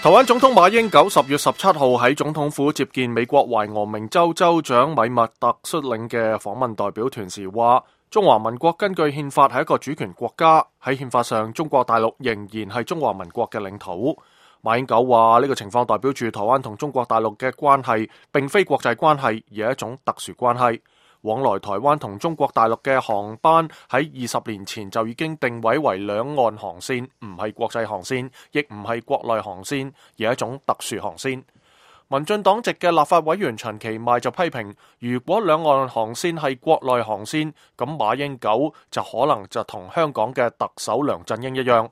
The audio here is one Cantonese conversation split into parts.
台灣總統馬英九10月17號喺總統府接見美國懷俄明州州長米密特率領嘅訪問代表團時話，中華民國根據憲法係一個主權國家，喺憲法上中國大陸仍然係中華民國嘅領土。馬英九話呢個情況代表住台灣同中國大陸嘅關係並非國際關係，而係一種特殊關係。往來台灣同中國大陸嘅航班喺20年前就已經定位為兩岸航線，唔係國際航線，亦唔係國內航線，而係一種特殊航線。民進黨籍嘅立法委員陳其邁就批評，如果兩岸航線係國內航線，咁馬英九就可能就同香港嘅特首梁振英一樣。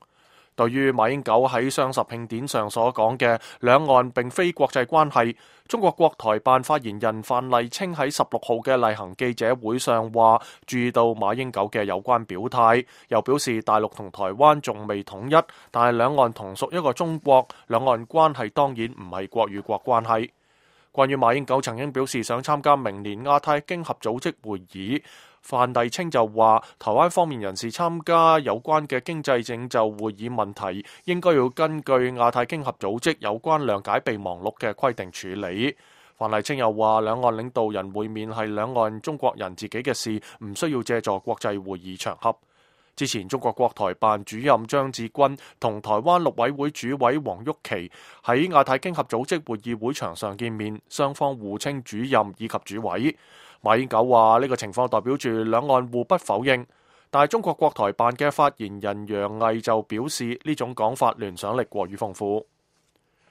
對於馬英九喺雙十慶典上所講嘅兩岸並非國際關係，中國國台辦發言人范麗清喺16號嘅例行記者會上話，注意到馬英九嘅有關表態，又表示大陸同台灣仲未統一，但係兩岸同屬一個中國，兩岸關係當然唔係國與國關係。關於馬英九曾經表示想參加明年亞太經合組織會議，范麗清就話，台灣方面人士參加有關嘅經濟領袖會議問題，應該要根據亞太經合組織有關諒解備忘錄嘅規定處理。范麗清又話，兩岸領導人會面係兩岸中國人自己嘅事，唔需要借助國際會議場合。之前中國國台辦主任張志軍同台灣陸委會主委黃郁琪喺亞太經合組織會議會場上見面，雙方互稱主任以及主委。馬英九話呢個情況代表住兩岸互不否認，但係中國國台辦嘅發言人楊毅就表示呢種講法聯想力過於豐富。